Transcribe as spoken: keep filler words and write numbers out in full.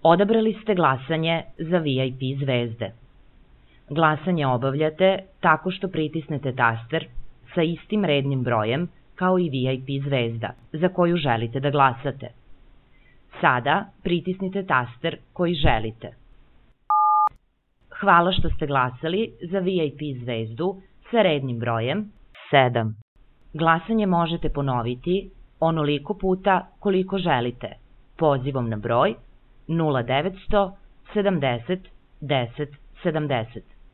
Odabrali ste glasanje za V I P zvezde. Glasanje obavljate tako što pritisnete taster sa istim rednim brojem kao i V I P zvezda za koju želite da glasate. Sada pritisnite taster koji želite. Hvala što ste glasali za V I P zvezdu sa rednim brojem sedam. Glasanje možete ponoviti onoliko puta koliko želite pozivom na broj nula devet sto sedamdeset deset sedamdeset.